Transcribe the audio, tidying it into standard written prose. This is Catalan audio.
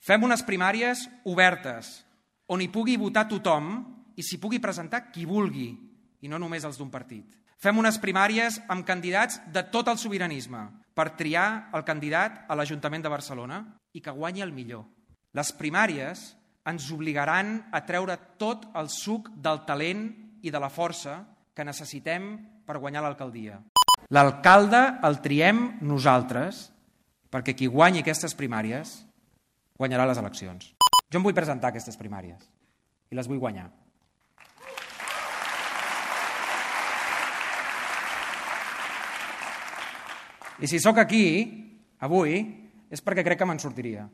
Fem unes primàries obertes, on hi pugui votar tothom i s'hi pugui presentar qui vulgui, i no només els d'un partit. Fem unes primàries amb candidats de tot el sobiranisme per triar el candidat a l'Ajuntament de Barcelona i que guanyi el millor. Les primàries ens obligaran a treure tot el suc del talent i de la força que necessitem per guanyar l'alcaldia. L'alcalde el triem nosaltres, perquè qui guanyi aquestes primàries guanyarà les eleccions. Jo em vull presentar a aquestes primàries i les vull guanyar. I si sóc aquí, avui, és perquè crec que me'n sortiria.